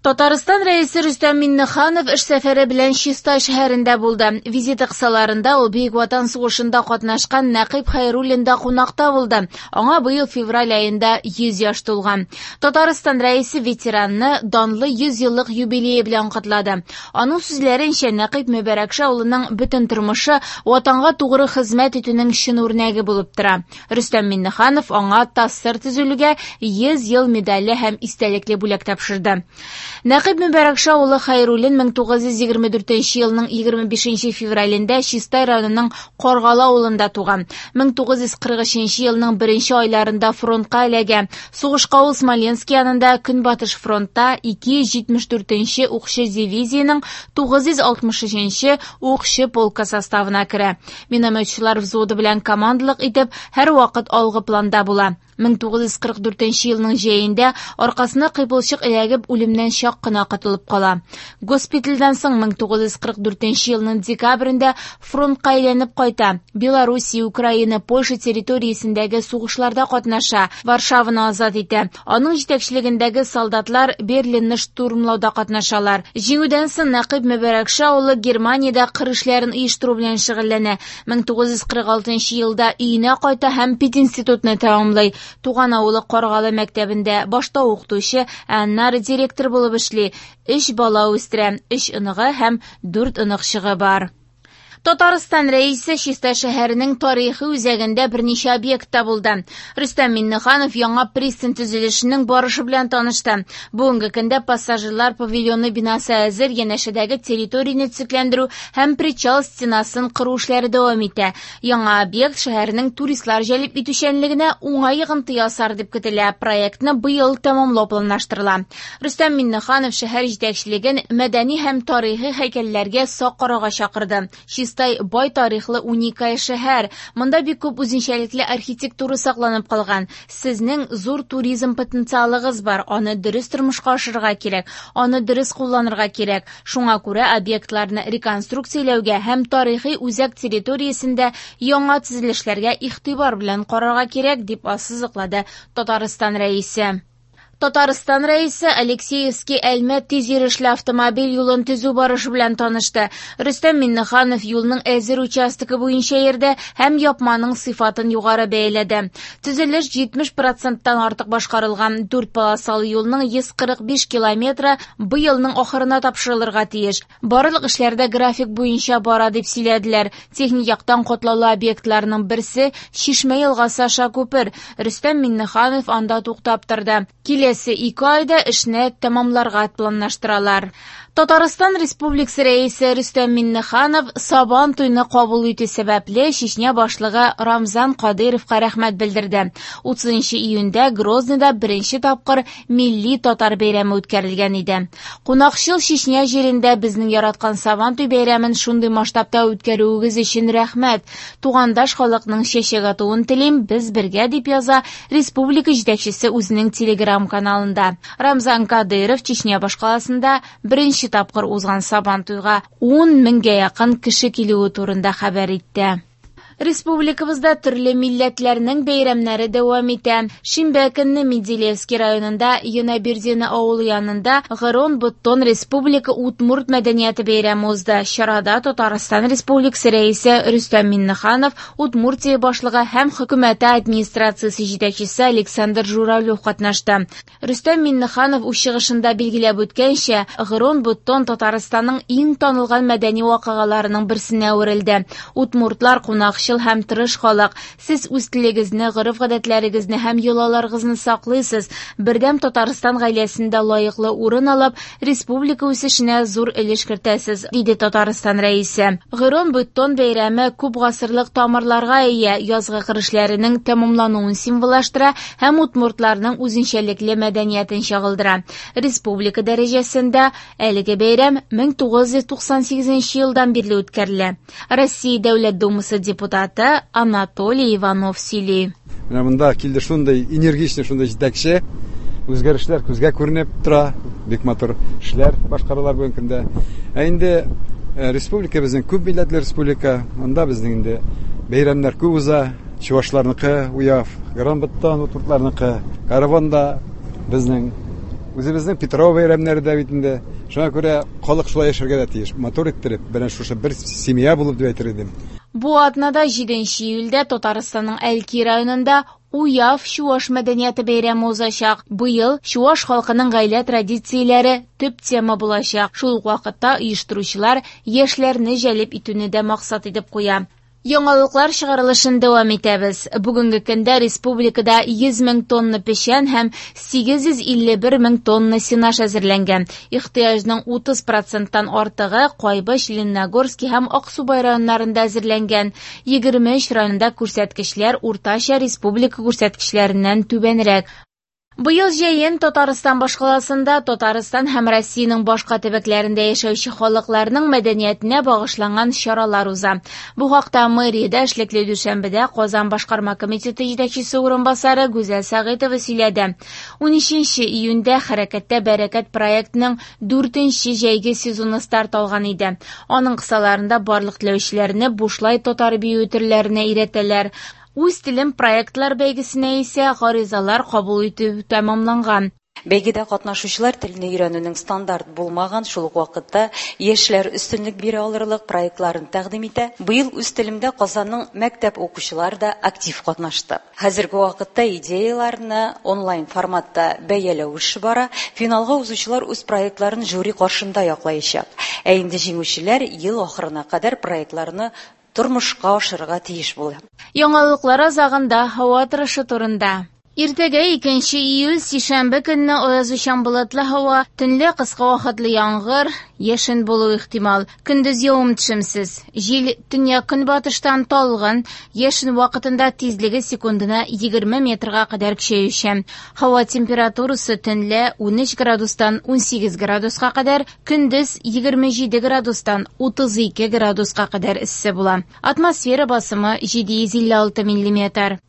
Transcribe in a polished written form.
Татарстан Рәисе Рөстәм Миңнеханов эш сәфәре белән Чистай шәһәрендә булды. Визиты кысаларында ул Бөек Ватан сугышында катнашкан Нәкыйп Хәйруллинда кунакта булды. Аңа быел февраль аенда 100 яшь тулган. Татарстан Рәисе ветеранны данлы 100 еллык юбилее белән котлады. Аның сүзләренчә, Нәкыйп Мөбәрәкша улының бөтен тормышы Ватанга тугры хезмәт итүнең чын үрнәге булып тора. Рөстәм Миңнеханов аңа ТАССР төзелүгә 100 ел медале һәм истәлекле бүләк тапшырды. Нәкыйп Мөбәрәкша улы Хәйруллин 1924 елның 25 февралендә Чистай районының Каргалы авылында туган. 1943 елның беренче айларында фронтка эләгә. Сугышка ул Смоленск янында Көнбатыш фронтта 274 укчы дивизиянең 963 укчы полкы составына керә. Минометчылар взводы белән командалык итеп, һәрвакыт алгы планда була. 1944 елның җәендә аркасына кыйпылчык эләгеп, үлемнән чак кына котылып кала. Госпитальдән соң 1944 елның декабрендә фронтка әйләнеп кайта. Белоруссия, Украина, Польша территориясендәге сугышларда катнаша, Варшаваны азат итә. Аның җитәкчелегендәге солдатлар Берлинны штурмлауда катнашалар. Җиңүдән соң Нәкыйп Мөбәрәкша улы Германиядә кыр эшләрен оештыру белән шөгыльләнә. 1946 елда өенә кайта һәм пединститутны тәмамлый. Туган авылы Каргалы мәктәбендә башта укытучы, ә аннары директор булып эшли. Өч бала үстерә, өч оныгы һәм дүрт оныкчыгы бар. Татарстан Рәисе Чистай шәһәренең тарихи үзәгендә берничә объектта булды. Рөстәм Миңнеханов яңа пристань төзелешенең барышы белән танышты. Бүгенге көндә пассажирлар павильоны бинасы әзер, янәшәдәге территорияне төзекләндерү һәм причал стенасын кору эшләре дәвам итә. Яңа объект шәһәрнең туристлар җәлеп итүчәнлегенә уңай йогынты ясар дип көтелә. Проектны быел тәмамлау планлаштырыла. Рөстәм Миңнеханов шәһәр җитәкчелеген мәдәни һәм тарихи һәйкәлләргә сак карарга чакырды. Чистай бай тарихлы уникаль шәһәр. Монда бик күп үзенчәлекле архитектура сакланып калган. Сезнең зур туризм потенциалыгыз бар, аны дөрес тормышка ашырырга кирәк, аны дөрес кулланырга кирәк. Шуңа күрә объектларны реконструкцияләүгә һәм тарихи үзәк территориясендә яңа төзелешләргә игътибар белән карарга кирәк, дип ассызыклады Татарстан Рәисе. Татарстан Рәисе Алексеевский Әлмәт тиз йөрешле автомобиль юлын төзү барышы белән танышты. Рөстәм Миңнеханов юлның әзер участогы буенча йөрде һәм япманың сыйфатын югары бәяләде. Төзелеш 70 проценттан артык башкарылган. Дүрт полосалы юлның 145 километры быелның ахырына тапшырылырга тиеш. Барлык эшләр дә график буенча бара дип сөйләделәр. Техник яктан катлаулы объектларның берсе Чишмә елгасы аша күпер. Рөстәм Миңнеханов анда туктап торды. Киләсе 2 айда эшне тәмамларга планлаштыралар. Татарстан Республикасы Рәисе Рөстәм Миңнеханов Сабан туйны кабул итү сәбәпле Чечня башлыгы Рамзан Кадыйровка рәхмәт белдерде. 30 июньдә Грозныйда беренче тапкыр милли татар бәйрәме үткәрелгән иде. Кунакчыл Чечня җирендә безнең яраткан Сабан туй бәйрәмен шундый масштабта үткәрүегез өчен рәхмәт. Тугандаш халыкның чәчәк атуын телим, без бергә, дип яза республика җитәкчесе үзенең телеграм-каналында. Рамзан Кадыйров Чечня башкаласында беренче тапкыр узган Сабан туйга 10 меңгә якын кеше килүе турында хәбәр итте. Республикабызда төрле милләтләрнең бәйрәмнәре дәвам итә. Шимбә көнне Менделеевский районында Янабердино авылы янында Гырон Быдтон Республика Удмурт мәдәнияте бәйрәме узды. Чарада Татарстан Республикасы Рәисе Рөстәм Миңнеханов, Удмуртия башлыгы һәм хөкүмәте администрациясе җитәкчесе Александр Журавлев катнашты. Рөстәм Миңнеханов үз чыгышында билгеләп үткәнчә, Гырон Быдтон Татарстанның иң танылган мәдәни вакыйгаларының берсенә әверелде. Удмуртлар кунакчыл һәм тырыш халык. Сез үз телегезне, гореф-гадәтләрегезне һәм йолаларыгызны саклыйсыз. Бердәм Татарстан гаиләсендә лаеклы урын алып, республика үсешенә зур өлеш кертәсез, диде Татарстан Рәисе. Гырон Быдтон бәйрәме күп гасырлык тамырларга ия, язгы кыр эшләренең тәмамлануын символлаштыра һәм удмуртларның үзенчәлекле мәдәниятен чагылдыра. Республика дәрәҗәсендә әлеге бәйрәм 1998 елдан бирле үткәрелә. Россия Дәүләт Думасы депутаты Анатолий Иванов сөйли. Менә монда килде шундый энергичный, шундый җитәкче. Үзгәрешләр күзгә күренеп тора, бик матур эшләр башкаралар бүгенге көндә. Ә инде республика безнең күп милләтле республика, монда безнең инде бәйрәмнәр күп уза. Чувашларныкы Уяв, Гырон Быдтон удмуртларныкы, Каравон да безнең. Үзебезнең Питрау бәйрәмнәре дә бит инде. Шуңа күрә халык шулай яшәргә дә тиеш. Матур иттереп, менә шушы бер семья булып дип әйтер идем. Бу атнада 7 июльдә Татарстанның Әлки районында Уяв чуаш мәдәнияте бәйрәме узачак. Быел чуаш халкының гаилә традицияләре төп тема булачак. Шул ук вакытта оештыручылар яшьләрне җәлеп итүне дә максат итеп куя. Яңалыклар чыгарылышын дәвам итәбез. Бүгенге көндә республикада 100 мең тонна печән һәм 851 мең тонна сенаж әзерләнгән. Ихтыяҗның 30 проценттан артыгы Кайбыч, Лениногорский һәм Аксубай районнарында әзерләнгән. 23 районда күрсәткечләр уртача республика күрсәткечләреннән түбәнрәк. Быел җәен Татарстан башкаласында Татарстан һәм Россиянең башка төбәкләрендә яшәүче халыкларның мәдәниятенә багышланган чаралар уза. Бу хакта мэриядә эшлекле дүшәмбедә Казан башкарма комитеты җитәкчесе урынбасары Гүзәл Сәгыйтова сөйләде. 13 июньдә Хәрәкәттә бәрәкәт проектының 4нче җәйге сезоны старт алган иде. Аның кысаларында барлык теләүчеләрне бушлай татар бию төрләренә өйрәтәләр. Үз телем проектлар бәйгесенә исә гаризалар кабул итү тәмамланган. Бәйгедә катнашучылар телне өйрәнүнең стандарт булмаган, шул ук вакытта яшьләр өстенлек бирә алырлык проектларын тәкъдим итә. Быел үз телемдә Казанның мәктәп укучылары да актив катнашты. Хәзерге вакытта идеяларны онлайн форматта бәяләү эше бара. Финалга узучылар үз проектларын жюри каршында яклаячак. Ә инде җиңүчеләр ел ахырына кадәр проектларны тормышка ашырырга тиеш була. Яңалыклар азагында һава торышы турында. Иртәгә 2 июль сишәмбе көнне аязучан болытлы һава, төнлә кыска вакытлы яңгыр, яшен булу ихтимал. Көндез явым-төшемсез. Җил төньяк-көнбатыштан талгын, яшен вакытында тизлеге секундына 20 метрга кадәр көчәючән. Һава температурасы төнлә 13 градустан 18 градуска кадәр, көндез 27 градустан 32 градуска кадәр эссе була. Атмосфера басымы 756 миллиметр.